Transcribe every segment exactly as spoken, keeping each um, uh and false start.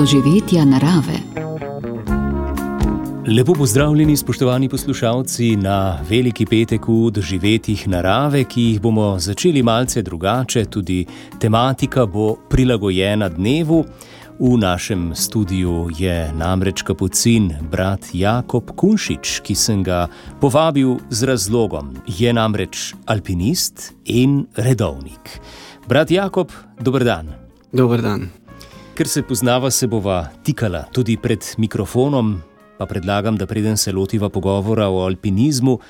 doživetja narave. Lepo pozdravljeni, spoštovani poslušalci, na veliki petek v doživetjih narave, ki jih bomo začeli malce drugače. Tudi tematika bo prilagojena dnevu. V našem studiu je namreč kapucin brat Jakob Kunšič, ki sem ga povabil z razlogom. Je namreč alpinist in redovnik. Brat Jakob, dober dan. Dober dan. Ker se poznava, se bova tikala tudi pred mikrofonom, pa predlagam, da preden se lotiva pogovora o alpinizmu,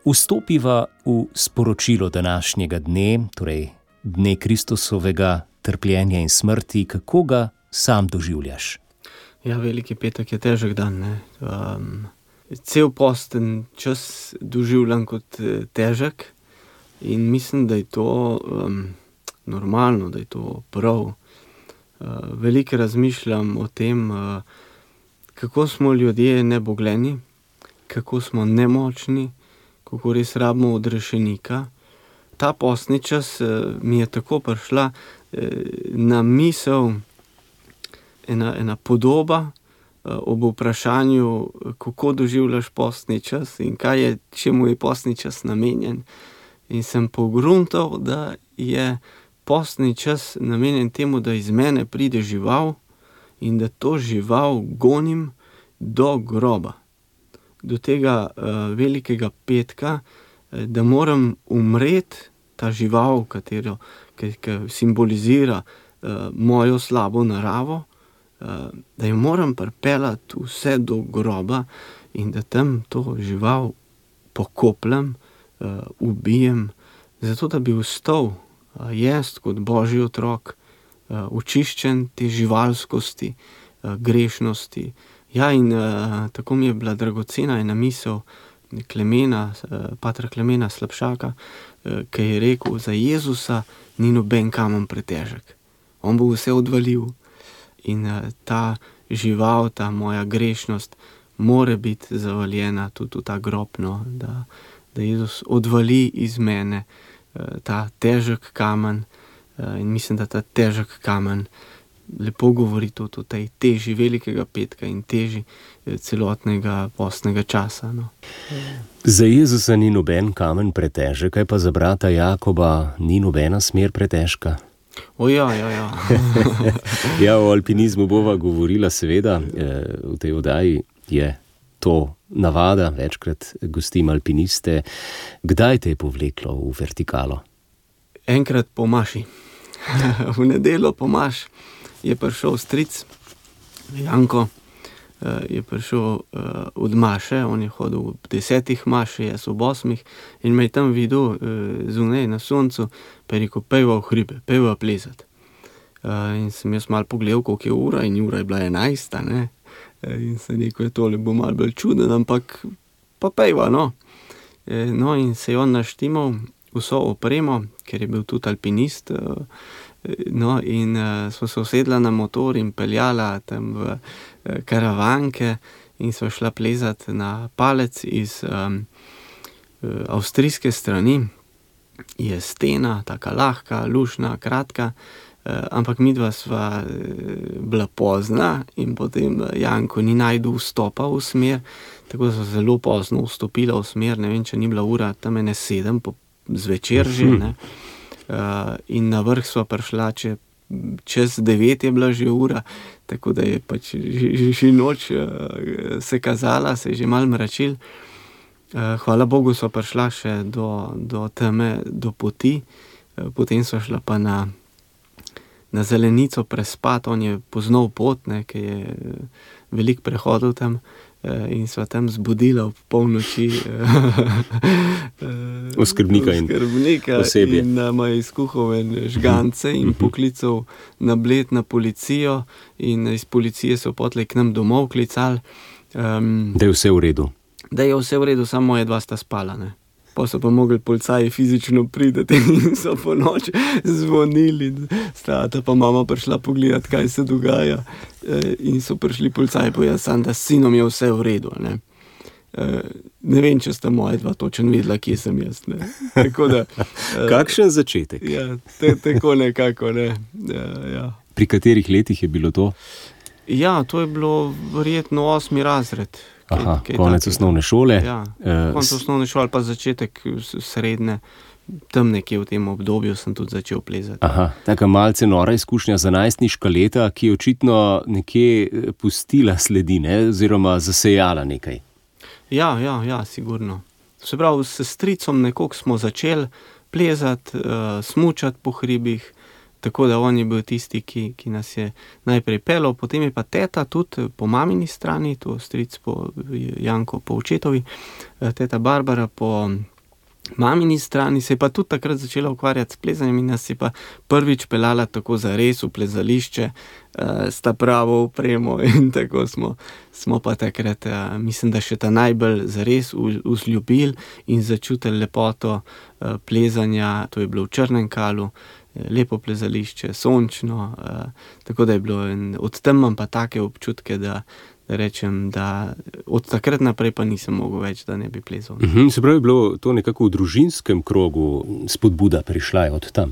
vstopiva v sporočilo današnjega dne, torej dne Kristusovega trpljenja in smrti. Kako ga sam doživljaš? Ja, veliki petek je težek dan, ne. Um, cel posten čas doživljam kot težek in mislim, da je to um, normalno, da je to prav. Uh, veliko razmišljam o tem, uh, kako smo ljudje nebogleni, kako smo nemočni, kako res rabimo odrešenika. Ta postni čas uh, mi je tako prišla uh, na misel ena, ena podoba uh, ob vprašanju, kako doživljaš postni čas in kaj je, čemu je postni čas namenjen. In sem pogruntal, da je postni čas namenjen temu, da iz mene pride žival in da to žival gonim do groba. Do tega uh, velikega petka, da moram umreti, ta žival, katero, ki, ki simbolizira uh, mojo slabo naravo, uh, da jo moram pripeljati vse do groba in da tam to žival pokopljem, uh, ubijem, zato da bi vstal uh, jaz kot Božji otrok, uh, očiščen te živalskosti, uh, grešnosti. Ja, in uh, tako mi je bila dragocena ena misel Klemena, uh, patra Klemena Slabšaka, uh, ki je rekel, za Jezusa ni noben kamen pretežek. On bo vse odvalil in uh, ta žival, ta moja grešnost more biti zavaljena tudi v ta grob, no, da, da Jezus odvali iz mene uh, ta težek kamen uh, in mislim, da ta težek kamen lepo govori tudi o tej teži velikega petka in teži celotnega postnega časa. No. Za Jezusa ni noben kamen pretežek, kaj pa za brata Jakoba ni nobena smer pretežka? O ja, ja, ja. Ja, o alpinizmu bova govorila seveda, v tej oddaji je to navada, večkrat gostim alpiniste. Kdaj te je povleklo v vertikalo? Enkrat po maši. V nedeljo po maš je prišel stric, Janko, je prišel od maše, on je hodil v desetih maši, jaz v osmih, in me je tam videl zunaj na soncu, pa je rekel, pejva v hribe, pejva plezati. In sem jaz malo pogledal, koliko je ura, in ura je bila enajsta, ne, in sem rekel, je tole bo malo bolj čuden, ampak pa pejva, no. No, in se je on naštimal vso opremo, ker je bil tudi alpinist, no, in uh, smo se usedla na motor in peljala tam v uh, karavanke in smo šla plezati na palec iz um, uh, avstrijske strani. Je stena, taka lahka, lušna, kratka, uh, ampak midva sva uh, bila pozna in potem Janko ni najdu vstopa v smer, tako da sva zelo pozno vstopila v smer, ne vem, če ni bila ura tam ene sedem po zvečer že, ne. Uh, in na vrh sva prišla, če, čez devet je bila že ura, tako da je pač že, že noč uh, se kazala, se je že malo mračil. Uh, hvala Bogu sva prišla še do, do teme, do poti, uh, potem sva šla pa na, na zelenico prespat, on je poznal pot, ne, ki je veliko prehodil tam, uh, in sva tam zbudila ob polnoči oskrbnika in osebje. In nama je izkuhal en žgance in poklical na Bled na policijo in iz policije so potlej k nam domov klicali. Um, da je vse v redu. Da je vse v redu, samo moje dva sta spala, ne. Pa so pa mogli policaji fizično priti in so po noči zvonili. Stata pa mama prišla pogledati, kaj se dogaja. In so prišli policaji povedati sam, da s sinom je vse v redu, ne. Ne vem, če sta moja dva točno vedela, kje sem jaz, ne. Tako da, kakšen začetek? Ja, te, tako nekako, ne. Ja, ja. Pri katerih letih je bilo to? Ja, to je bilo verjetno osmi razred. Kaj, Aha, kaj konec takega. osnovne šole. Ja, Eh, konec s- osnovne šole pa začetek s- srednje. Tam nekje v tem obdobju sem tudi začel plezati. Aha, taka malce nora izkušnja za najstniška leta, ki je očitno nekje eh, pustila sledi, ne? Oziroma zasejala nekaj. Ja, ja, ja, sigurno. Se pravi, s stricom nekoliko smo začeli plezati, uh, smučati po hribih, tako da on je bil tisti, ki, ki nas je najprej peljal, potem je pa teta tudi po mamini strani, to stric po Janko po očetovi, eh, teta Barbara po mamini strani, se je pa tudi takrat začela ukvarjati s plezanjem in nas je pa prvič peljala tako zares v plezališče, uh, s ta pravo opremo in tako smo, smo pa takrat, uh, mislim, da še ta najbolj zares v- vzljubili in začutili lepoto uh, plezanja. To je bilo v Črnem Kalu, eh, lepo plezališče, sončno, uh, tako da je bilo, in od tam imam pa take občutke, da da rečem, da od takrat naprej pa nisem mogel več, da ne bi plezal. Mhm, se pravi, je bilo to nekako v družinskem krogu spodbuda prišla je od tam.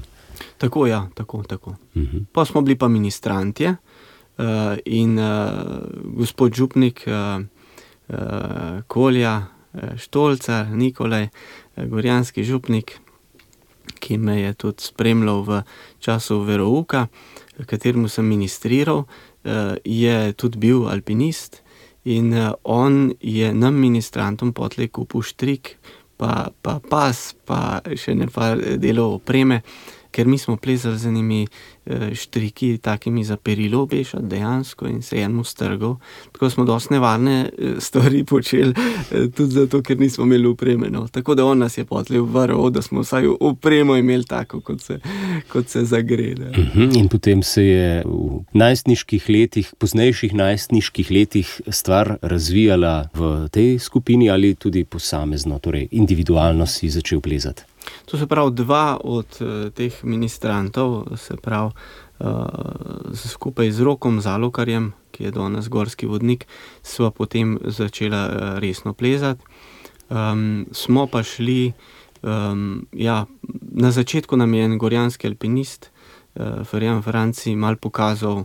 Tako, ja, tako, tako. Mhm. Pa smo bili pa ministrantje uh, in uh, gospod župnik uh, uh, Kolja, uh, Štolcar, Nikolaj, uh, gorjanski župnik, ki me je tudi spremljal v času verouka, kateremu sem ministriral, uh, je tudi bil alpinist in uh, on je nam ministrantom potlej kupil štrik, pa, pa pas, pa še nekaj delov opreme, ker mi smo plezali z enimi eh, štriki, takimi za perilo obešati dejansko in se enemu strgal. Tako smo dosti nevarne eh, stvari počeli, eh, tudi zato, ker nismo imeli opreme. No. Tako da on nas je potlej varoval, da smo vsaj opremo imeli tako, kot se, kot se zagrede. Mhm, in potem se je v najstniških letih, poznejših najstniških letih stvar razvijala v tej skupini ali tudi posamezno, torej individualno si začel plezati. To se pravi, dva od uh, teh ministrantov, se pravi, uh, skupaj z Rokom Zalokarjem, ki je danes gorski vodnik, sva potem začela uh, resno plezati. Um, smo pa šli, um, ja, na začetku nam je en gorjanski alpinist, uh, Ferjan Franci, mal pokazal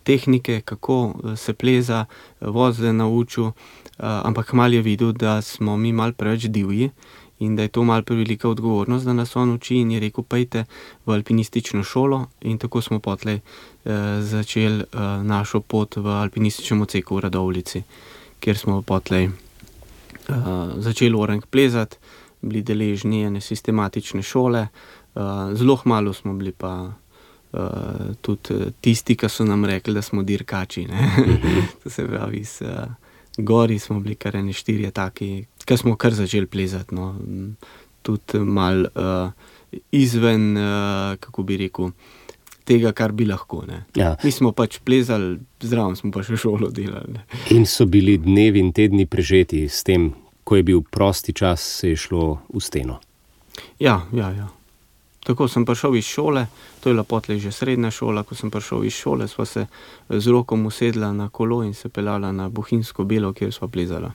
tehnike, kako uh, se pleza, vozde naučil, uh, ampak mal je videl, da smo mi mal preveč divji, in da je to malo prevelika odgovornost, da nas on uči, in je rekel, pejte v alpinistično šolo, in tako smo potlej eh, začeli eh, našo pot v alpinističnem odseku v Radovljici, kjer smo potlej eh, začeli orang plezati, bili deležni ene sistematične šole, eh, zelo malo smo bili pa eh, tudi tisti, ki so nam rekli, da smo dirkači, ne? To se pravi, s eh, gori smo bili kar ene štirje taki, ki smo kar začeli plezati, no. Tudi mal uh, izven, uh, kako bi rekel, tega, kar bi lahko, ne. Ja. Mi smo pač plezali, zraven smo pa še šolo delali, ne. In so bili dnevi in tedni prežeti s tem, ko je bil prosti čas, se je šlo v steno. Ja, ja, ja. Tako sem prišel iz šole, to je bila potlej že srednja šola, ko sem prišel iz šole, sva se z Rokom usedla na kolo in se peljala na Bohinjsko Belo, kjer sva plezala.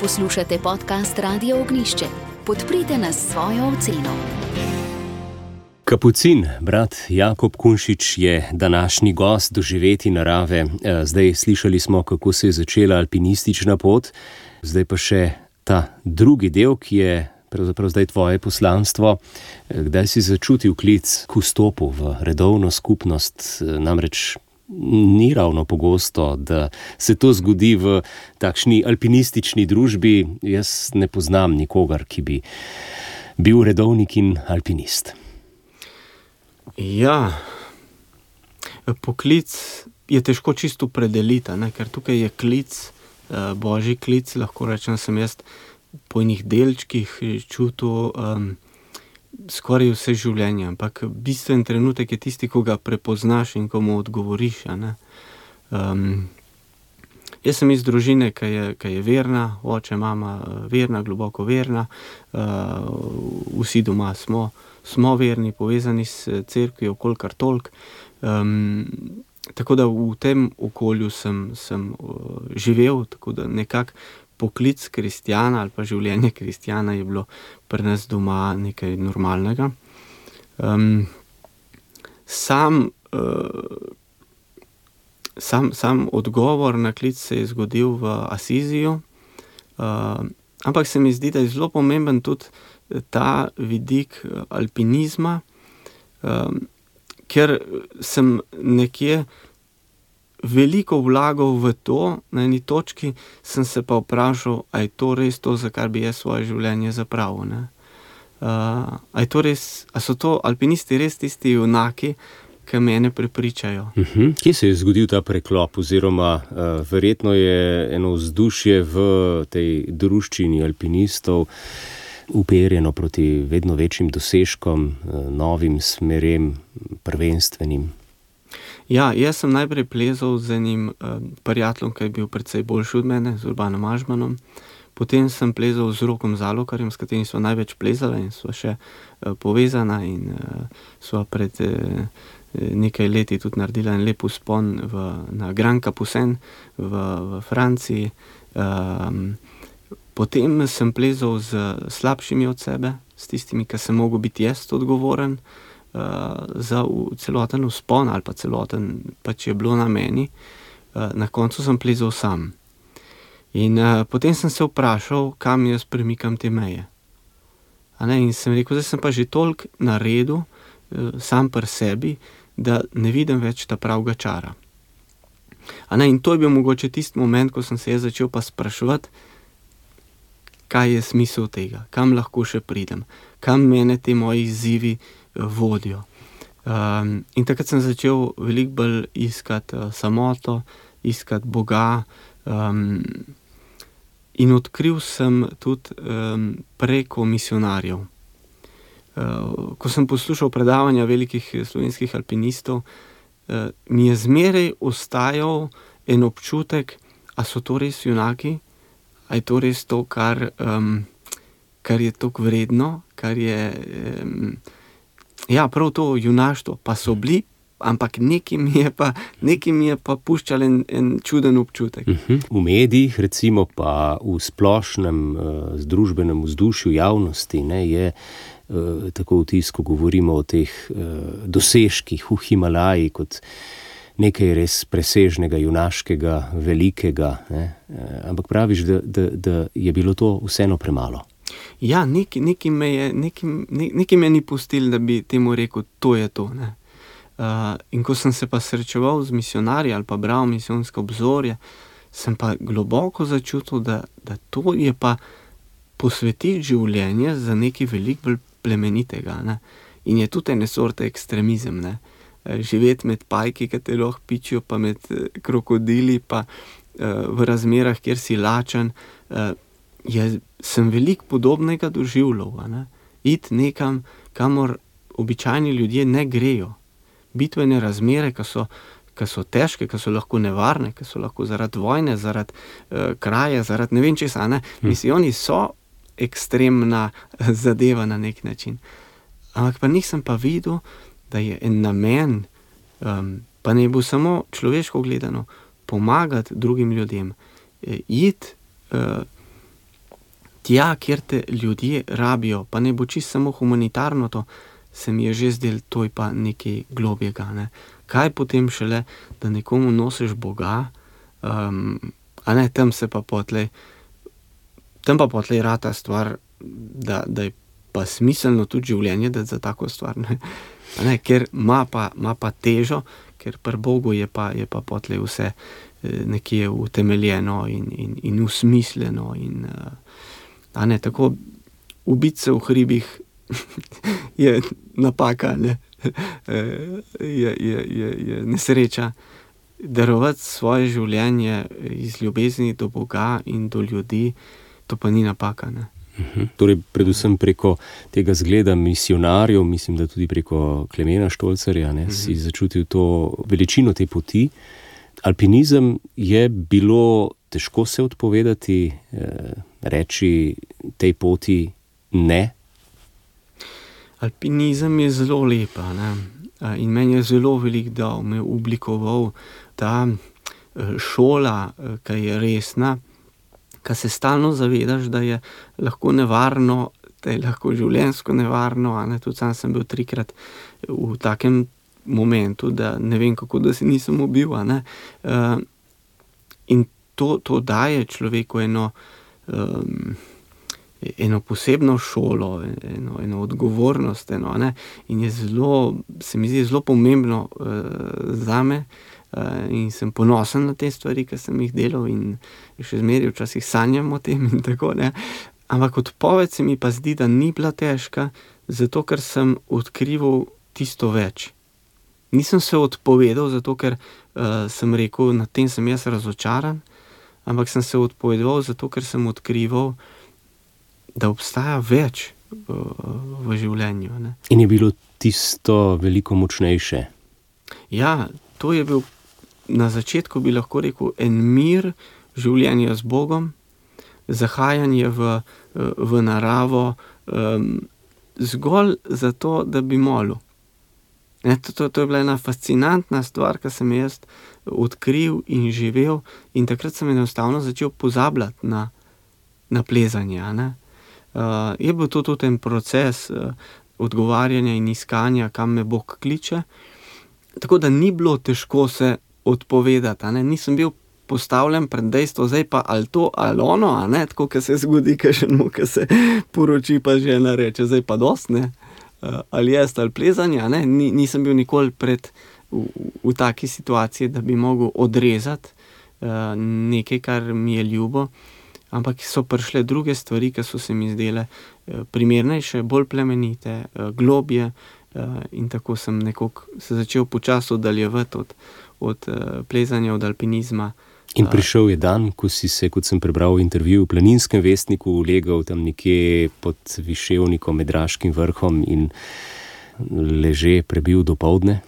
Poslušate podcast Radio Ognjišče. Podprite nas s svojo oceno. Kapucin, brat Jakob Kunšič, je današnji gost doživeti narave. Zdaj slišali smo, kako se je začela alpinistična pot, zdaj pa še ta drugi del, ki je pravzaprav zdaj tvoje poslanstvo. Kdaj si začutil klic k vstopu v redovno skupnost, namreč ni ravno pogosto, da se to zgodi v takšni alpinistični družbi. Jaz ne poznam nikogar, ki bi bil redovnik in alpinist. Ja, poklic je težko čisto opredeliti, ne, ker tukaj je klic, božji klic, lahko rečem, sem jaz po enih delčkih čutil um, skoraj vse življenje, ampak bistven trenutek je tisti, ko ga prepoznaš in ko mu odgovoriš, a ne. Um, jaz sem iz družine, ki je, ki je verna, oče, mama verna, globoko verna, uh, vsi doma smo, smo verni, povezani s cerkvijo, kolikor toliko. Um, tako da v tem okolju sem, sem uh, živel, tako da nekako poklic kristjana ali pa življenje kristjana je bilo pri nas doma nekaj normalnega. Um, sam sam, sam odgovor na klic se je zgodil v Asiziju, uh, ampak se mi zdi, da je zelo pomemben tudi ta vidik alpinizma, um, ker sem nekje veliko vlagal v to, na eni točki sem se pa vprašal, a je to res to, za kar bi jaz svoje življenje zapravil, ne? Uh, a je to res, a so to alpinisti res tisti junaki, ki mene prepričajo? Uh-huh. Kje se je zgodil ta preklop, oziroma uh, verjetno je eno vzdušje v tej druščini alpinistov uperjeno proti vedno večjim dosežkom, uh, novim smerem, prvenstvenim? Ja, jaz sem najprej plezal z enim uh, prijateljem, ki je bil precej boljši od mene, z Urbanom Ažmanom. Potem sem plezal z Rokom Zalokarjem, s katerim sva največ plezala in sva še uh, povezana in uh, sva pred uh, nekaj leti tudi naredila en lep vzpon v, na Grand Capucin v, v Franciji. Um, potem sem plezal z slabšimi od sebe, s tistimi, ki sem mogel biti jaz odgovoren uh, za v, celoten vzpon ali pa celoten, pač je bilo na meni. Uh, na koncu sem plezal sam. In uh, potem sem se vprašal, kam jaz premikam te meje. A ne? In sem rekel, zdaj sem pa že toliko naredil, uh, sam pri sebi, da ne vidim več ta pravega čara. A ne? In to je bil mogoče tisti moment, ko sem se jaz začel pa spraševati, kaj je smisel tega, kam lahko še pridem, kam mene te moji izzivi uh, vodijo. Um, in takrat sem začel veliko bolj iskati uh, samoto, iskati Boga, um, in odkril sem tudi um, preko misionarjev. Uh, ko sem poslušal predavanja velikih slovenskih alpinistov, uh, mi je zmeraj ostajal en občutek, a so to res junaki, a je to res to, kar, um, kar je toliko vredno, kar je, um, ja, prav to junaštvo, pa so bili, ampak nekaj mi je pa, nekaj mi je pa puščal en, en čuden občutek. Uh-huh. V medijih, recimo pa v splošnem uh, združbenem vzdušju javnosti, ne, je uh, tako vtis, ko govorimo o teh uh, dosežkih v Himalaji kot nekaj res presežnega, junaškega, velikega, ne. Uh, ampak praviš, da, da, da je bilo to vseeno premalo. Ja, nekaj, nekaj me je, nekaj, nekaj me ni pustil, da bi temu rekel, to je to, ne. Uh, in ko sem se pa srečeval z misionarji ali pa bral misijonske obzorje, sem pa globoko začutil, da, da to je pa posvetiti življenje za nekaj veliko bolj plemenitega, ne. In je tudi ene sorte ekstremizem, ne. Živeti med pajki, ki te lahko pičijo, pa med krokodili, pa uh, v razmerah, kjer si lačen, uh, je, sem veliko podobnega doživljal, ne. Iti nekam, kamor običajni ljudje ne grejo. Bitvene razmere, ki so, ki so težke, ki so lahko nevarne, ki so lahko zaradi vojne, zaradi uh, kraje, zaradi ne vem česa, ne. Misijoni so ekstremna zadeva na nek način. Ampak pa nisem pa videl, da je en namen, um, pa ne bo samo človeško gledano, pomagati drugim ljudem. E, iti uh, tja, kjer te ljudje rabijo, pa ne bo čisto samo humanitarno to, se mi je že zdel, to je pa nekaj globjega, ne. Kaj potem šele, da nekomu nosiš Boga, um, a ne, tam se pa potlej, tam pa potlej rata stvar, da, da je pa smiselno tudi življenje dati za tako stvar, ne. A ne, ker ima pa, ima pa težo, ker pri Bogu je pa, je pa potlej vse nekje utemeljeno in, in, in usmišljeno in, a ne, tako ubiti se v hribih je napaka, ne. je, je, je, je nesreča. Darovati svoje življenje iz ljubezni do Boga in do ljudi, to pa ni napaka, ne. Uh-huh. Torej, predvsem preko tega zgleda misionarjev, mislim, da tudi preko Klemena Štolcarja, ne, uh-huh. si začutil to veličino te poti. Alpinizem je bilo težko se odpovedati, eh, reči tej poti ne? Alpinizem je zelo lepa, ne? In meni je zelo veliko dal, me je oblikoval ta šola, ki je resna, ki se stalno zavedaš, da je lahko nevarno, da je lahko življenjsko nevarno, a ne, tudi sam sem bil trikrat v takem momentu, da ne vem, kako da se nisem ubil. A ne? Uh, in to, to daje človeku eno, um, eno posebno šolo, eno, eno odgovornost. Eno, ne? In je zelo, se mi zdi zelo pomembno uh, zame. Uh, in sem ponosen na te stvari, ki sem jih delal, in še zmeraj včasih sanjam o tem in tako, ne. Ampak odpoved se mi pa zdi, da ni bila težka, zato ker sem odkrival tisto več. Nisem se odpovedal, zato ker uh, sem rekel, nad tem sem jaz razočaran, ampak sem se odpovedal, zato ker sem odkrival, da obstaja več uh, v življenju. Ne. In je bilo tisto veliko močnejše? Ja, to je bil na začetku, bi lahko rekel, en mir življenja z Bogom, zahajanje v, v naravo, um, zgolj zato, da bi molil. Ne, to, to, to je bila ena fascinantna stvar, ki sem jaz odkril in živel, in takrat sem enostavno začel pozabljati na, na plezanje. Ne? Uh, je bil to tudi en proces uh, odgovarjanja in iskanja, kam me Bog kliče. Tako da ni bilo težko se odpovedati, a ne, nisem bil postavljen pred dejstvo, zdaj pa ali to ali ono, a ne, tako, ki se zgodi, kakšnemu, ki se poroči, pa žena reče, zdaj pa dost, ne, ali jaz ali plezanje, a ne, Ni, nisem bil nikoli pred v, v taki situaciji, da bi mogel odrezati uh, nekaj, kar mi je ljubo, ampak so prišle druge stvari, ki so se mi zdele uh, primernejše, bolj plemenite, uh, globje, uh, in tako sem nekako se začel počasi oddaljevati od od uh, plezanja, od alpinizma. In prišel je dan, ko si se, kot sem prebral v intervjuju v Planinskem vestniku, ulegal tam nekje pod Viševnikom med Draškim vrhom in leže prebil dopoldne?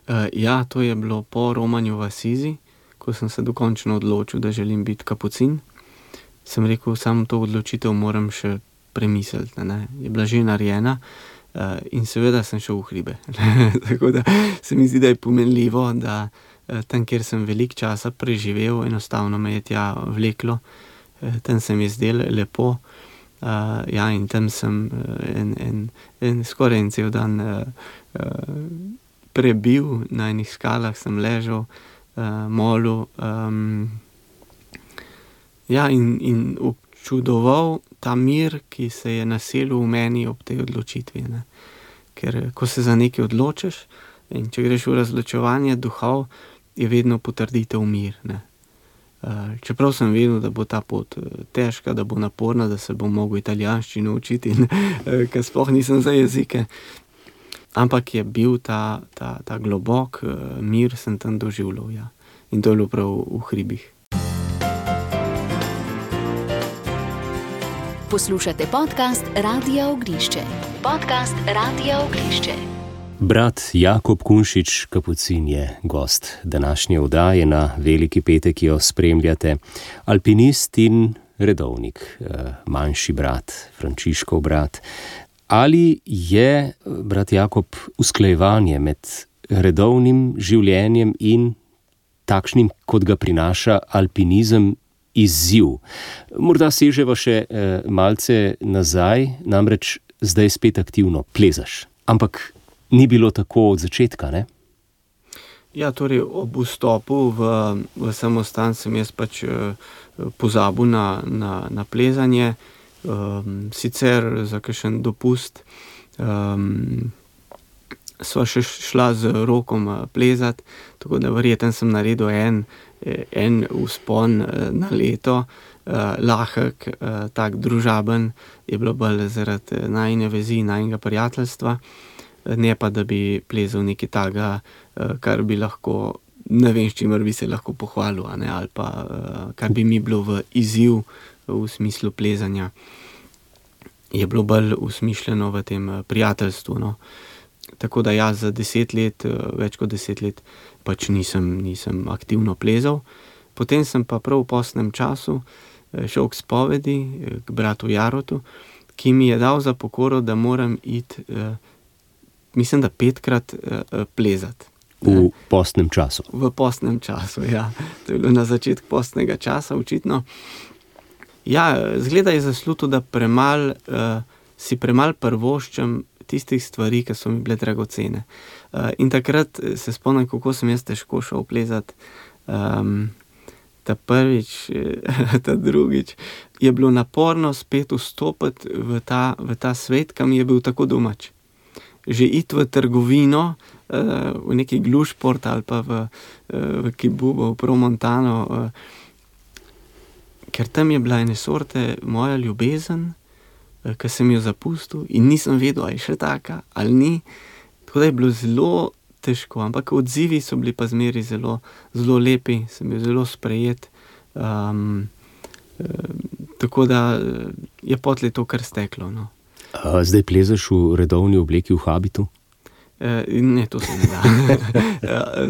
Uh, ja, to je bilo po romanju v Asizi, ko sem se dokončno odločil, da želim biti kapucin. Sem rekel, samo to odločitev moram še premisliti. Ne? Je bila že narejena. Uh, in seveda sem šel v hribe. Tako da se mi zdi, da je pomenljivo, da uh, tam, kjer sem veliko časa preživel, enostavno me je tja vleklo. Uh, tam se mi je zdelo lepo. Uh, ja, in tam sem uh, en, en, en, skoraj en cel dan uh, uh, prebil, na enih skalah sem ležal, uh, molil. Um, ja, in, in občudoval ta mir, ki se je naselil v meni ob tej odločitvi. Ne. Ker ko se za nekaj odločiš in če greš v razločevanje duhov, je vedno potrditev mir. Ne. Uh, čeprav sem vedel, da bo ta pot težka, da bo naporna, da se bom mogel italijanščino učiti, in, uh, ker sploh nisem za jezike. Ampak je bil ta, ta, ta globok uh, mir, sem tam doživljal. Ja. In to je bilo prav v hribih. Poslušate podcast Radia Ognišče. Podcast Radia Ognišče. Brat Jakob Kunšič, kapucin, je gost današnje oddaje na Veliki petek, ki jo spremljate. Alpinist in redovnik, manjši brat, Frančiškov brat. Ali je, brat Jakob, usklajevanje med redovnim življenjem in takšnim, kot ga prinaša alpinizem, izziv? Morda seževa še eh, malce nazaj, namreč zdaj spet aktivno plezaš. Ampak ni bilo tako od začetka, ne? Ja, torej ob vstopu v, v samostan sem jaz pač eh, pozabil na, na, na plezanje, um, sicer za kakšen dopust um, sva še šla z Rokom plezati, tako da verjetno sem naredil en en vzpon na leto, uh, lahek, uh, tak družaben, je bilo bolj zaradi najine vezi, najinega prijateljstva, ne pa, da bi plezal nekaj taga, uh, kar bi lahko, ne vem, s čimer bi se lahko pohvalil, a ne, ali pa uh, kar bi mi bilo v izziv v smislu plezanja. Je bilo bolj usmišljeno v tem prijateljstvu, no. Tako da ja, za deset let, več kot deset let, pač nisem, nisem aktivno plezal. Potem sem pa prav v postnem času šel k spovedi, k bratu Jarotu, ki mi je dal za pokoro, da moram iti, mislim, da petkrat plezati. V postnem času? V postnem času, ja. To je bilo na začetku postnega časa, očitno. Ja, zgleda je zasluto, da premal, si premal prvoščem tistih stvari, ki so mi bile dragocene. Uh, in takrat se spomnim, kako sem jaz težko šel plezati. Um, ta prvič, ta drugič, je bilo naporno spet vstopiti v ta, v ta svet, ki mi je bil tako domač. Že iti v trgovino, uh, v neki Glušport ali pa v, uh, v Kibubo, v Promontano, uh, ker tam je bila ene sorte moja ljubezen, uh, ki sem jo zapustil in nisem vedel, ali je še taka ali ni. Tako da je bilo zelo težko, ampak odzivi so bili pa zmeri zelo, zelo lepi, sem bil zelo sprejet. Um, uh, tako da je potlej to kar steklo, no. A zdaj plezaš v redovni obleki, v habitu? E, ne, to se ne da.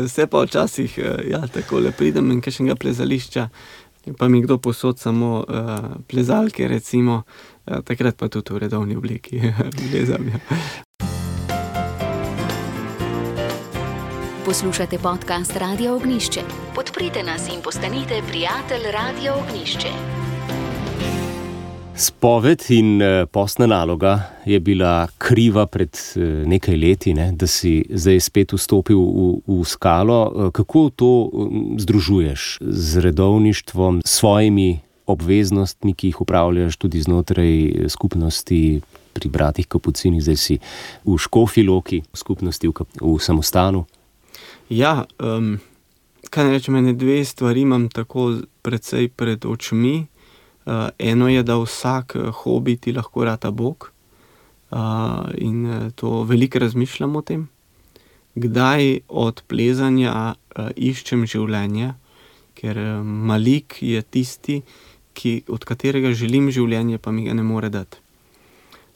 Vse pa včasih, ja, takole pridem in kakšnega plezališča, pa mi kdo posod samo uh, plezalke, recimo, uh, takrat pa tudi v redovni obleki plezam, ja. Poslušate podcast Radia Ognjišče. Podprite nas in postanite prijatelj Radia Ognjišče. Spoved in postna naloga je bila kriva pred nekaj leti, ne, da si zdaj spet vstopil v, v skalo. Kako to združuješ z redovništvom, s svojimi obveznostmi, ki jih upravljaš tudi znotraj skupnosti pri bratih Kapucinih, zdaj si v Škofji Loki, v skupnosti v, v samostanu? Ja, um, kaj ne rečem, ene dve stvari imam tako precej pred očmi. Uh, eno je, da vsak hobi ti lahko rata Bog, uh, in to veliko razmišljam o tem, kdaj od plezanja uh, iščem življenje, ker uh, Malik je tisti, ki, od katerega želim življenje, pa mi ga ne more dati.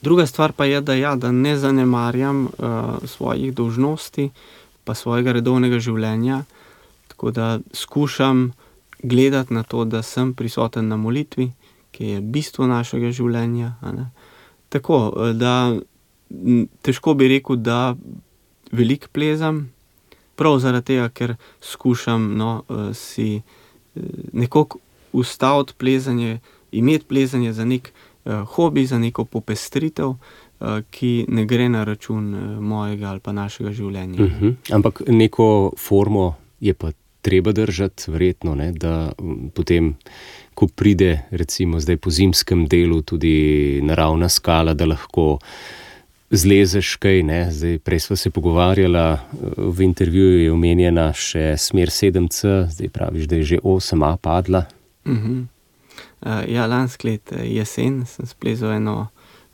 Druga stvar pa je, da, ja, da ne zanemarjam uh, svojih dolžnosti, pa svojega redovnega življenja, tako da skušam gledati na to, da sem prisoten na molitvi, ki je bistvo našega življenja. Ne? Tako, da težko bi rekel, da veliko plezam, prav zaradi tega, ker skušam no, si nekako ustaviti plezanje, imeti plezanje za nek uh, hobi, za neko popestritev, uh, ki ne gre na račun uh, mojega ali pa našega življenja. Uh-huh. Ampak neko formo je pa treba držati, verjetno, ne, da potem, ko pride recimo zdaj po zimskem delu tudi naravna skala, da lahko zlezeš kaj, ne, zdaj prej sva se pogovarjala, v intervjuju je omenjena še smer sedem C, zdaj praviš, da je že osem A padla. Uh-huh. Uh, ja, lansko let jesen sem splezal eno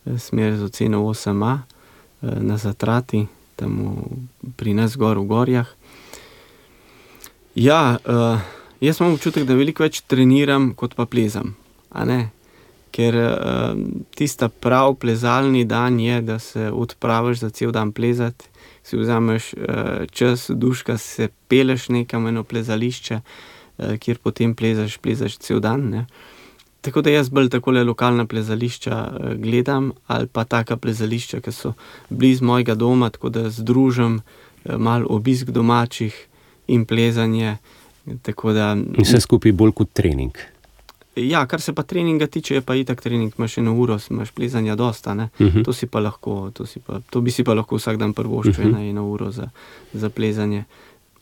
smer z oceno osem A uh, na Zatrati, tam v, pri nas gor v gorjah. Ja, uh, jaz imam občutek, da veliko več treniram, kot pa plezam, a ne? Ker uh, tista prav plezalni dan je, da se odpraviš za cel dan plezati, si vzameš uh, čas, duška, se peleš nekam eno plezališče, uh, kjer potem plezaš, plezaš cel dan, ne? Tako da jaz bolj takole lokalna plezališča uh, gledam, ali pa taka plezališča, ki so blizu mojega doma, tako da združim uh, malo obisk domačih in plezanje, tako da... In vse skupaj bolj kot trening. Ja, kar se pa treninga tiče, je pa itak trening, imaš eno uro, imaš plezanja dosta, ne? Uh-huh. To si pa lahko, to, si pa, to bi si pa lahko vsak dan prvoščil, uh-huh. eno uro za, za plezanje.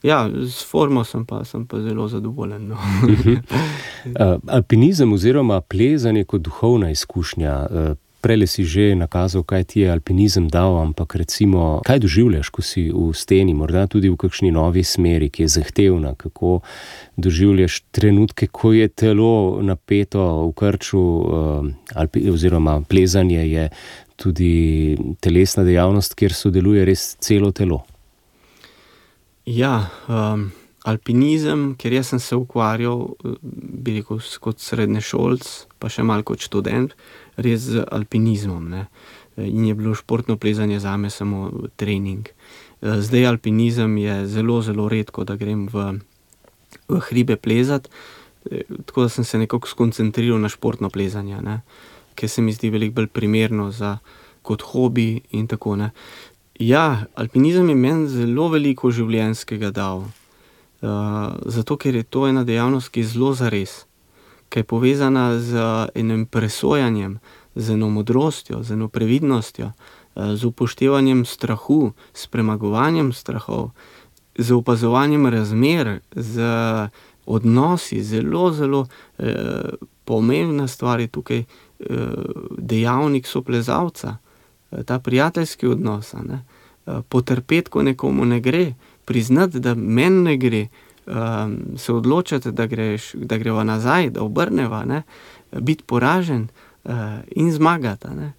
Ja, s formo sem pa, sem pa zelo zadovoljen, no. uh-huh. uh, Alpinizem oziroma plezanje kot duhovna izkušnja, uh, prele si že nakazal, kaj ti je alpinizem dal, ampak recimo, kaj doživljaš, ko si v steni, morda tudi v kakšni novi smeri, ki je zahtevna, kako doživljaš trenutke, ko je telo napeto v krču, alpi, oziroma plezanje je tudi telesna dejavnost, kjer sodeluje res celo telo. Ja, um, alpinizem, ker jaz sem se ukvarjal, bi rekel, kot srednješolc, pa še malo kot študent, res z alpinizmom, ne. In je bilo športno plezanje zame samo trening. Zdaj alpinizem je zelo, zelo redko, da grem v, v hribe plezat, tako da sem se nekako skoncentriral na športno plezanje, ne, ker se mi zdi veliko bolj primerno za, kot hobi in tako, ne. Ja, alpinizem je meni zelo veliko življenjskega dal, uh, zato ker je to ena dejavnost, ki je zelo zares, ki je povezana z enim presojanjem, z eno modrostjo, z eno previdnostjo, z upoštevanjem strahu, s premagovanjem strahov, z opazovanjem razmer, z odnosi, zelo, zelo eh, pomembna stvar je tukaj eh, dejavnik soplezalca, eh, ta prijateljski odnos, ne? Eh, potrpeti, ko nekomu ne gre, priznati, da meni ne gre, eh, se odločati, da, greš, da greva nazaj, da obrneva, ne? Biti poražen eh, in zmagati, ne?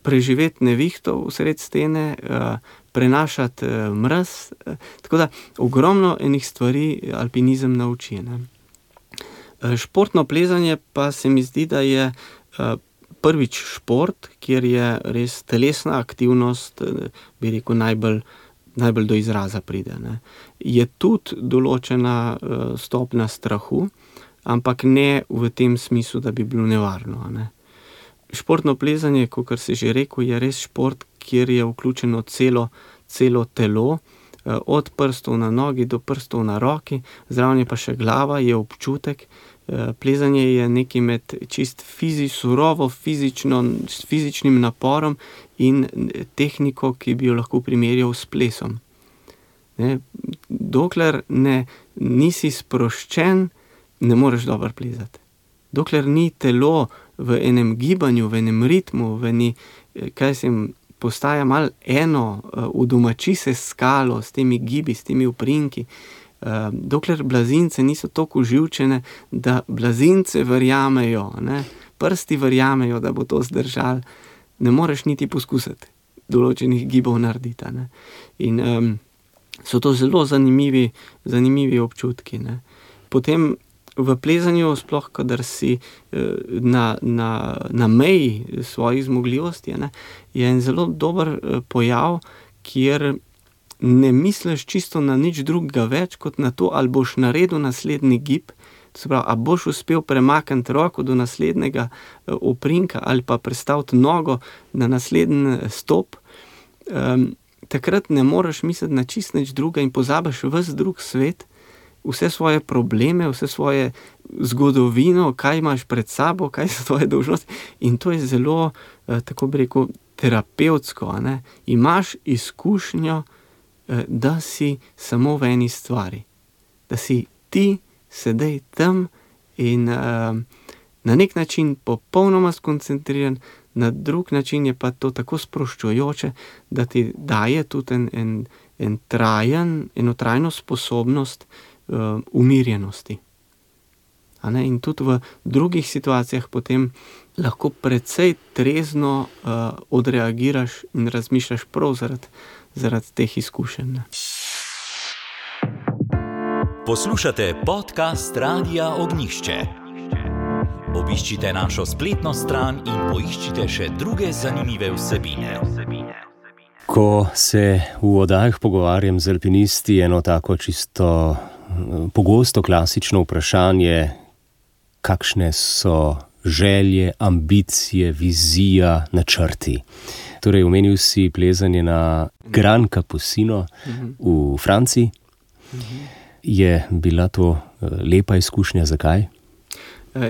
Preživeti nevihto vsred stene, eh, prenašati eh, mraz, eh, tako da ogromno enih stvari alpinizem nauči, ne? Športno plezanje pa se mi zdi, da je prvič šport, kjer je res telesna aktivnost, bi rekel, najbolj, najbolj do izraza pride, ne. Je tudi določena stopnja strahu, ampak ne v tem smislu, da bi bilo nevarno, ne. Športno plezanje, kakor si že rekel, je res šport, kjer je vključeno celo, celo telo, od prstov na nogi do prstov na roki, zraven je pa še glava, je občutek. Plezanje je nekaj med čist fizi, surovo fizično, s fizičnim naporom in tehniko, ki bi jo lahko primerjal s plesom. Ne, dokler ne, nisi sproščen, ne moreš dobro plezati. Dokler ni telo v enem gibanju, v enem ritmu, v eni, kaj sem, postaja malo eno, udomači se s skalo, s temi gibi, s temi uprinki. Dokler blazince niso toliko uživčene, da blazince verjamejo, ne, prsti verjamejo, da bo to zdržal, ne moreš niti poskusiti določenih gibov narediti, ne. In um, so to zelo zanimivi, zanimivi občutki, ne. Potem v plezanju, sploh kadar si na, na, na meji svojih zmogljivosti, ne, je en zelo dober pojav, kjer ne misliš čisto na nič drugega več, kot na to, ali boš naredil naslednji gib, to se pravi, a boš uspel premakniti roko do naslednjega oprinka ali pa prestaviti nogo na naslednji stop. Um, takrat ne moreš misliti na čist nič druga in pozabiš ves drug svet, vse svoje probleme, vse svoje zgodovino, kaj imaš pred sabo, kaj so tvoje dolžnosti, in to je zelo, eh, tako bi rekel, terapevtsko, a ne. Imaš izkušnjo, eh, da si samo v eni stvari, da si ti sedaj tam in eh, na nek način popolnoma skoncentriran, na drug način je pa to tako sproščujoče, da ti daje tudi en, en, en trajen, eno trajno sposobnost uh, umirjenosti. A ne? In tudi v drugih situacijah potem lahko precej trezno uh, odreagiraš in razmišljaš prav zaradi, zaradi teh izkušenj. Ne? Poslušate podcast Radia Ognjišče. Obiščite našo spletno stran in poiščite še druge zanimive vsebine. Ko se v oddajah pogovarjam z alpinisti, eno tako čisto pogosto klasično vprašanje, kakšne so želje, ambicije, vizija, načrti. Torej, omenil si plezanje na Gran Capucino v Franciji. Je bila to lepa izkušnja, zakaj?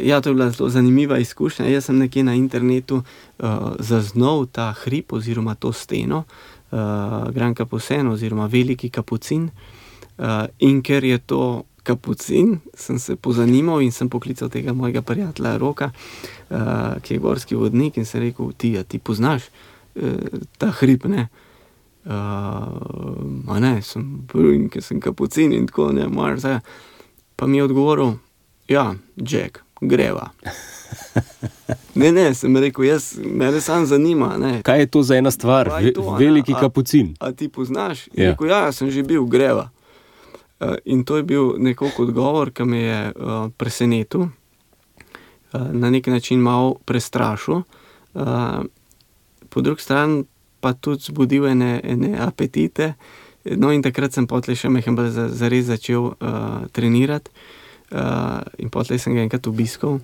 Ja, to je bila zelo zanimiva izkušnja. Jaz sem nekje na internetu uh, zaznal ta hrib oziroma to steno, uh, Gran Capucin oziroma Veliki Kapucin. Uh, in ker je to Kapucin, sem se pozanimal in sem poklical tega mojega prijatelja Roka, uh, ki je gorski vodnik, in sem rekel, ti, a ti poznaš uh, ta hrib, ne? Uh, a ne, sem prvi, ker sem Kapucin in tako, ne, moraš zdaj. Pa mi je odgovoril, ja, Jack, greva. Ne, ne, sem rekel, jaz, mene sam zanima, ne. Kaj je to za ena stvar? To, Veliki a, Kapucin. A, a ti poznaš? Ja. Rekel, ja, sem že bil, greva. Uh, in to je bil nekoliko odgovor, ki me je uh, presenetil, uh, na nek način malo prestrašil, uh, po drugi strani pa tudi zbudil ene, ene apetite, no in takrat sem potlej še mehen bolj zares začel uh, trenirati. Uh, in potlej sem ga enkrat obiskal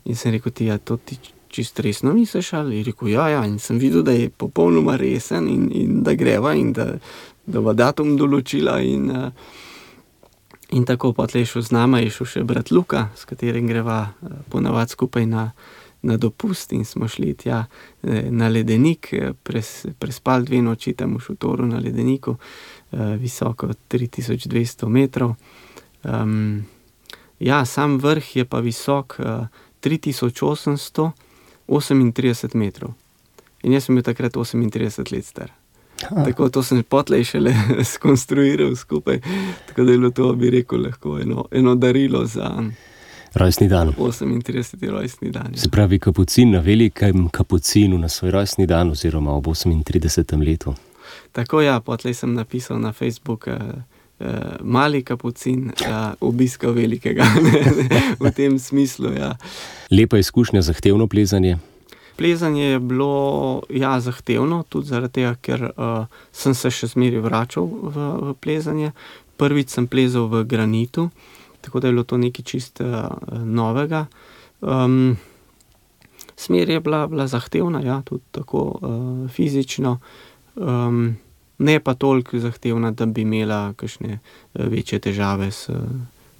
in sem rekel, ti, ja, to ti čist resno misliš, ali? In rekel, ja, ja, in sem videl, da je popolnoma resen in, in da greva in da, da bo datum določila in, uh, in tako potlej šel z nama, je šel še brat Luka, s katerim greva uh, ponavad skupaj na, na dopust in smo šli tja na ledenik, pres, prespali dve noči tam v šotoru na ledeniku, visoko tri tisoč dvesto metrov. Um, ja, sam vrh je pa visok tri tisoč osemsto osemintrideset metrov. In jaz sem bil takrat osemintrideset let star. Ha. Tako to sem potlej šele skonstruiral skupaj, tako da je bilo to, bi rekel, lahko eno, eno darilo za rojstni dan. osemintrideseti rojstni dan. Ja. Se pravi, kapucin na velikem kapucinu na svoj rojstni dan oziroma ob osemintridesetem letu. Tako ja, potlej sem napisal na Facebook eh, eh, mali kapucin eh, obiskal velikega. V tem smislu, ja. Lepa izkušnja, zahtevno plezanje? Plezanje je bilo, ja, zahtevno, tudi zaradi tega, ker uh, sem se še zmeraj vračal v, v plezanje. Prvič sem plezal v granitu, tako da je bilo to nekaj čist uh, novega. Um, smer je bila, bila zahtevna, ja, tudi tako uh, fizično, um, ne pa toliko zahtevna, da bi imela kakšne večje težave s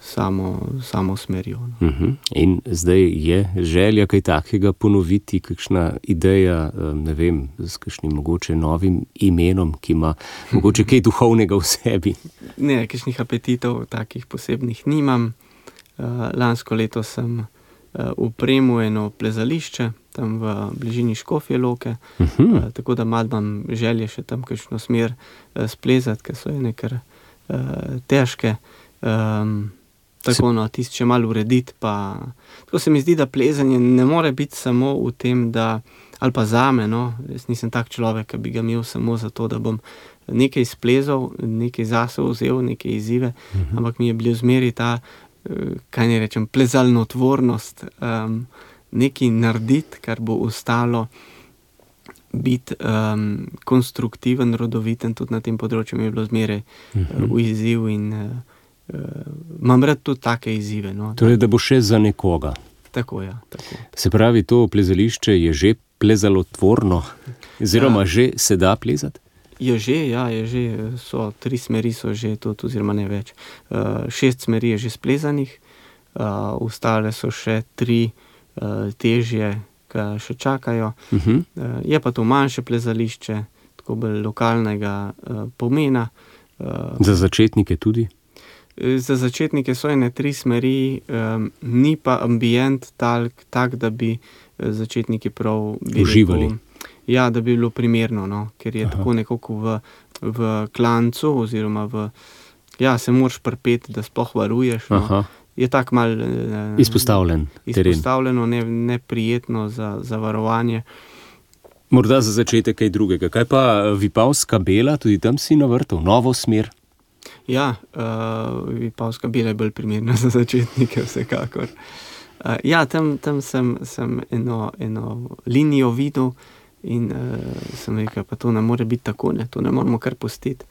samo, samo smerjo. No. Uh-huh. In zdaj je želja kaj takega ponoviti, kakšna ideja, ne vem, s kakšnim mogoče novim imenom, ki ima mogoče kaj duhovnega v sebi? Ne, kakšnih apetitov takih posebnih nimam. Uh, lansko leto sem uh, upremil eno plezališče, tam v bližini Škofje Loke, uh-huh. uh, tako da malo imam želje še tam kakšno smer uh, splezati, ker so ene kar uh, težke. Um, Tako, no, tisto še malo urediti, pa tako se mi zdi, da plezanje ne more biti samo v tem, da, ali pa zame, no, jaz nisem tak človek, ki bi ga imel samo zato, da bom nekaj splezal, nekaj zase vzel, nekaj izzive, uh-huh. ampak mi je bil zmeri ta, kaj ne rečem, plezalnotvornost, um, nekaj narediti, kar bo ostalo biti um, konstruktiven, rodoviten, tudi na tem področju mi je bilo zmeri uh-huh. v izziv in uh, Uh, imam rad tudi take izzive. No, torej, da bo še za nekoga. Tako, ja. Tako. Se pravi, to plezališče je že plezalotvorno, oziroma ja. Že se da plezati? Je že, ja, je že, so tri smeri so že tudi, oziroma ne več. Uh, šest smeri je že splezanih, uh, ostale so še tri uh, težje, ki še čakajo. Uh-huh. Uh, je pa to manjše plezališče, tako bolj lokalnega uh, pomena. Uh, za začetnike tudi? Za začetnike so ene tri smeri, um, ni pa ambient tak, tak, da bi začetniki prav bi uživali. Rekel, ja, da bi bilo primerno, no, ker je Aha. Tako nekako v, v klancu, oziroma v, ja, se moraš prpeti, da sploh varuješ. No. Je tak mal uh, izpostavljen teren. Izpostavljeno, ne, neprijetno za, za varovanje. Morda za začetek kaj drugega. Kaj pa Vipavska Bela, tudi tam si navrtal novo smer? Ja, uh, Vipavska Bela je bolj primerna za začetnike, vsekakor. Uh, ja, tam, tam sem, sem eno, eno linijo videl in uh, sem rekel, pa to ne more biti tako, ne, to ne moramo kar pustiti.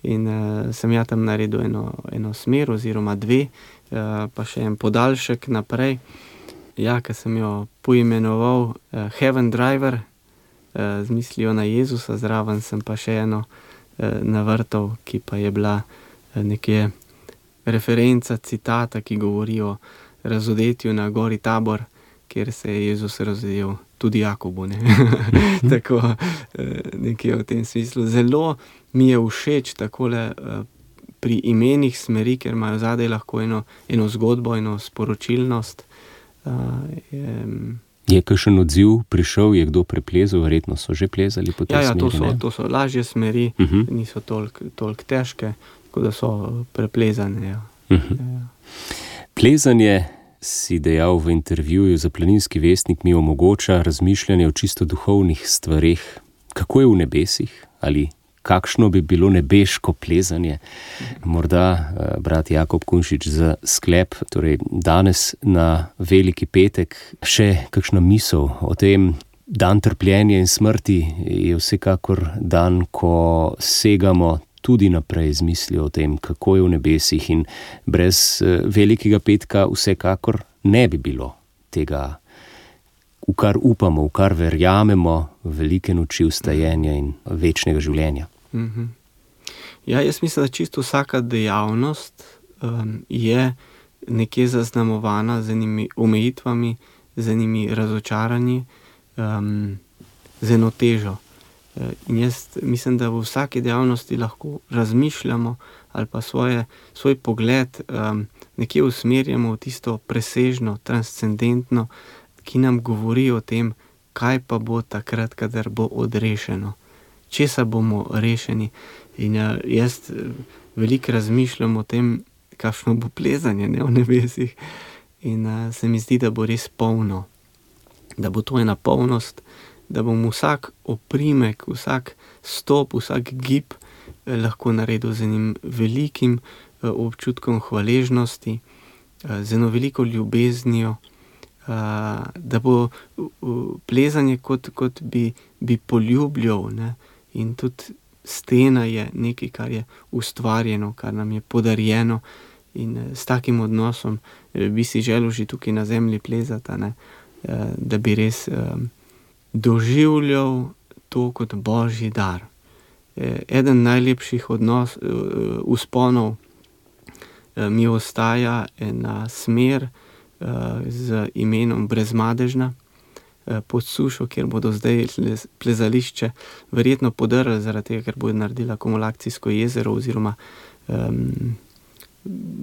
In uh, sem ja tam naredil eno, eno smer oziroma dve, uh, pa še en podaljšek naprej. Ja, ker sem jo poimenoval uh, Heaven Driver, uh, z mislijo na Jezusa, zraven sem pa še eno uh, navrtal, ki pa je bila nekje referenca, citata, ki govori o razodetju na gori Tabor, kjer se je Jezus razodel tudi Jakobu. Ne? Tako nekje v tem smislu. Zelo mi je všeč takole pri imenih smeri, ker imajo zadaj lahko eno, eno zgodbo, eno sporočilnost. Je, je kakšen odziv prišel, je kdo preplezal, verjetno so že plezali po tej ja, ja, smeri? Ja, to so, to so lažje smeri, uh-huh. niso toliko tolik težke, da so preplezane. Ja. Uh-huh. Ja. Plezanje, si dejal v intervjuju za Planinski vestnik, mi omogoča razmišljanje o čisto duhovnih stvareh. Kako je v nebesih? Ali kakšno bi bilo nebeško plezanje? Morda, brat Jakob Kunšič, za sklep, torej danes na Veliki petek, še kakšna misel o tem. Dan trpljenja in smrti je vsekakor dan, ko segamo tudi naprej z mislijo o tem, kako je v nebesih, in brez Velikega petka vsekakor ne bi bilo tega, v kar upamo, v kar verjamemo, velike noči vstajenja in večnega življenja. Mm-hmm. Ja, jaz mislim, da čisto vsaka dejavnost um, je nekje zaznamovana z enimi omejitvami, z enimi razočaranji, um, z eno težo. In jaz mislim, da v vsaki dejavnosti lahko razmišljamo ali pa svoje, svoj pogled um, nekje usmerjamo v tisto presežno, transcendentno, ki nam govori o tem, kaj pa bo takrat, kadar bo odrešeno. Česa bomo rešeni. In uh, jaz veliko razmišljam o tem, kakšno bo plezanje, ne, v nebesih. In uh, se mi zdi, da bo res polno. Da bo to ena polnost, da bom vsak oprimek, vsak stop, vsak gib eh, lahko naredil z enim velikim eh, občutkom hvaležnosti, eh, z eno veliko ljubeznijo, eh, da bo uh, plezanje kot, kot bi, bi poljubljal, ne? In tudi stena je nekaj, kar je ustvarjeno, kar nam je podarjeno, in eh, s takim odnosom eh, bi si želel že tukaj na zemlji plezati, ne? Eh, da bi res eh, doživljal to kot božji dar. Eden najlepših odnos, vzponov mi ostaja ena smer z imenom Brezmadežna pod Sušo, kjer bodo zdaj plezališče verjetno podrli, zaradi tega, ker bodo naredili akumulacijsko jezero oziroma um,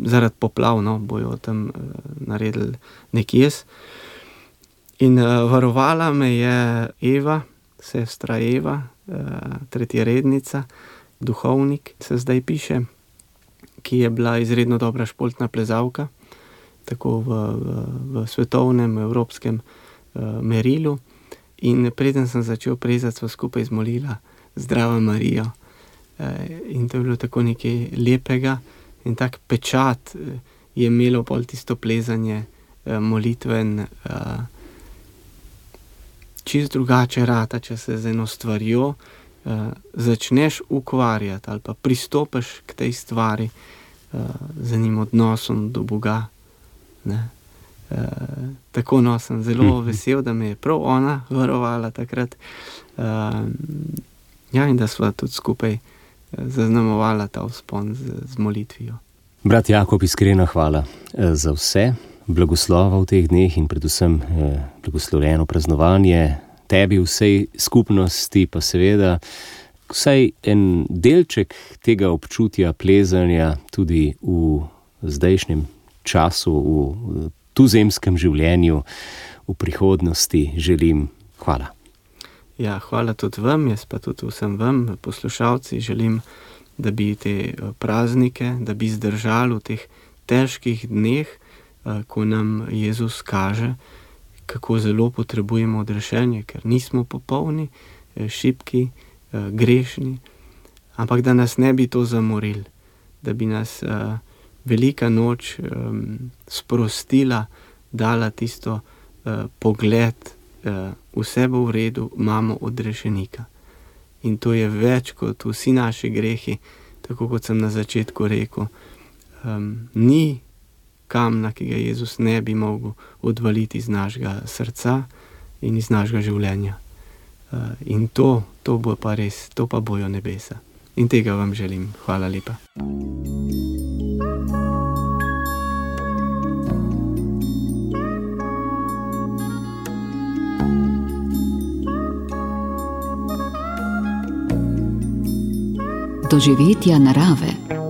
zaradi poplav, no, bojo tam uh, naredili nek jez. In uh, varovala me je Eva, sestra Eva, uh, tretjerednica, duhovnik, se zdaj piše, ki je bila izredno dobra športna plezalka, tako v, v, v svetovnem, evropskem uh, merilu. In preden sem začel plezati, sva skupaj zmolila Zdravo Marijo. Uh, in to je bilo tako nekaj lepega in tak pečat uh, je imelo pol tisto plezanje uh, molitven, uh, čist drugače rata, če se z eno stvarjo uh, začneš ukvarjati ali pa pristopiš k tej stvari uh, z enim odnosom do Boga. Ne? Uh, tako no, sem zelo vesel, da me je prav ona varovala takrat. Uh, ja, in da sva tudi skupaj zaznamovala ta vzpon z, z molitvijo. Brat Jakob, iskrena hvala za vse. Blagoslova v teh dneh in predvsem eh, blagoslovljeno praznovanje tebi, vsej skupnosti, pa seveda vsaj en delček tega občutja plezanja tudi v zdajšnjem času, v tuzemskem življenju, v prihodnosti želim. Hvala. Ja, hvala tudi vam, jaz pa tudi vsem vam, poslušalci, želim, da bi te praznike, da bi zdržali v teh težkih dneh, ko nam Jezus kaže, kako zelo potrebujemo odrešenje, ker nismo popolni, šibki, grešni, ampak da nas ne bi to zamorili, da bi nas uh, velika noč um, sprostila, dala tisto uh, pogled, uh, vse bo v redu, imamo odrešenika. In to je več kot vsi naši grehi, tako kot sem na začetku rekel. Um, ni kamna, ki ga Jezus ne bi mogel odvaliti iz našega srca in iz našega življenja. Uh, in to, to bo pa res, to pa bojo nebesa. In tega vam želim. Hvala lepa. Doživetja narave.